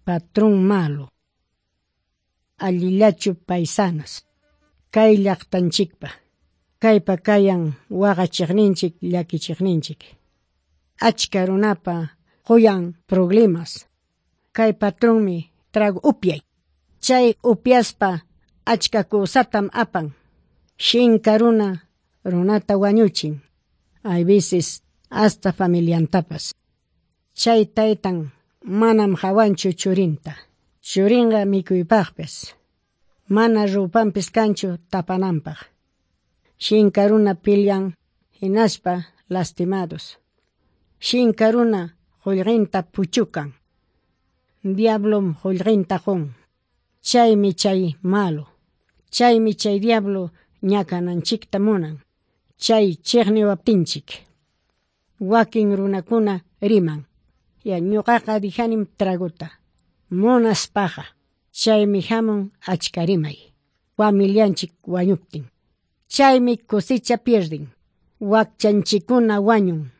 Patrón malo. Allillachu paisanos. Kay llaqtanchikpa. Kaypa kayan waqachiqninchik llakichiqninchik. Achka runapa quyan problemas. Kay patronmi trago upyay. Chay upyaspa achka kusatam apan. Shinka runa runata wañuchin. Hay veces hasta familiantapas. Chay taytan manam hawanchu churinta. Churinqa mikuypaqpis. Mana rupanpis kanchu tapananpaq. Shinka runa pilyan hinaspa lastimados. Shinka runa qullqinta puchukan. Diablom qullqinta qun. Chaymi chay malo. Chaymi chay diablo ñakananchikta munan. Chay chiqniwaptinchik. Wakin runakuna riman. Ya ñuqaqa dijanim traguta. Munaspaqa. Chaymi hamun achka rimay. Familianchik wañuptin. Chaymi cosecha pierden. Wakchanchikuna wañun.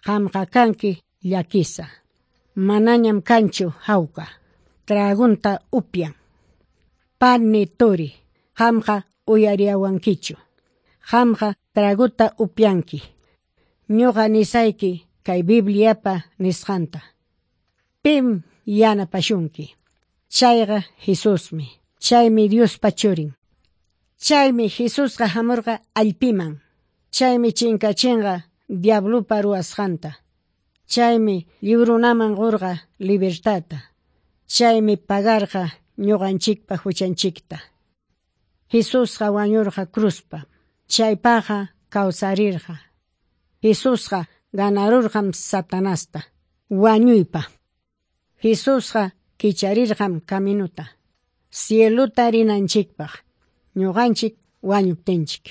Qamqa kanki llakisa. Manañam kanchu hawka. Tragunta upyan. Pani turi. Qamqa uyariyawankichu. Qamqa traguta upyanki. Ñuqa nisayki kay Bibliapa nisqanta. Pim yanapashunki. Chayqa Jesusmi. Chaymi Diospa churin. Chaymi Jesusqa hamurqa allpiman. Chaymi chinkachinqa diablupa ruwasqanta. Chaymi lliw runaman qurqa libertadta. Chaymi pagarqa ñuqanchikpa huchanchikta. Jesusqa wañurqa cruzpa. Chaypaqa kawsarirqa. Jesusqa ganarurqam Satanasta. Wañuypa. Jesusqa kicharirqam caminuta. Cieluta rinanchikpaq. Ñuqanchik wañuptinchik.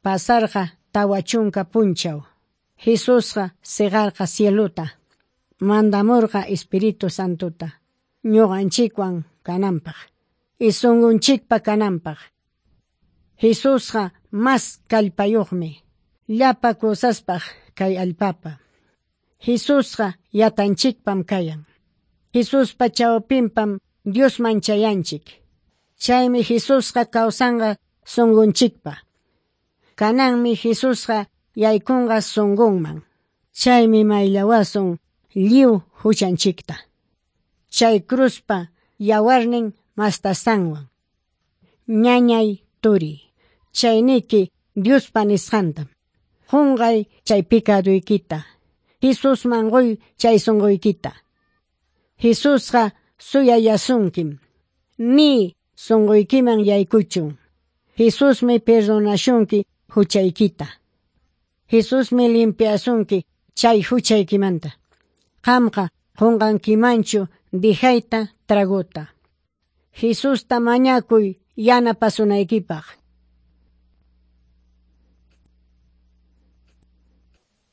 Pasarqa 40 punchaw. Jesusqa siqarqa cieluta. Mandamurqa Espíritu Santuta. Ñuqanchikwan kananpaq. Y sunqunchikpa kananpaq. Jesusqa mas kallpayuqmi. Llapa kusaspaq kay allpapa. Jesusqa yatanchikpam kayan. Jesuspa chawpinpam Diosman chayanchik. Chaymi Jesusqa kawsanqa sunqunchikpa. Kananmi Jesusqa yaykunqa sunqunman. Chaymi mayllawasun lliw huchanchikta. Chay cruzpa yawarnin mastasanwan. Ñañay turi. Chayniki Diospa nisqantam. Qunqay chay picaduykita. Jesusman quy chay sunquykita. Jesusqa suyayasunkim. Ni sunquykiman yaykuchun. Jesusmi perdonashunki huchaykita. Jesusmi limpiasunki chay huchaykimanta. Qamqa qunqankimanchu dijayta traguta. Jesusta mañakuy yanapasunaykipaq.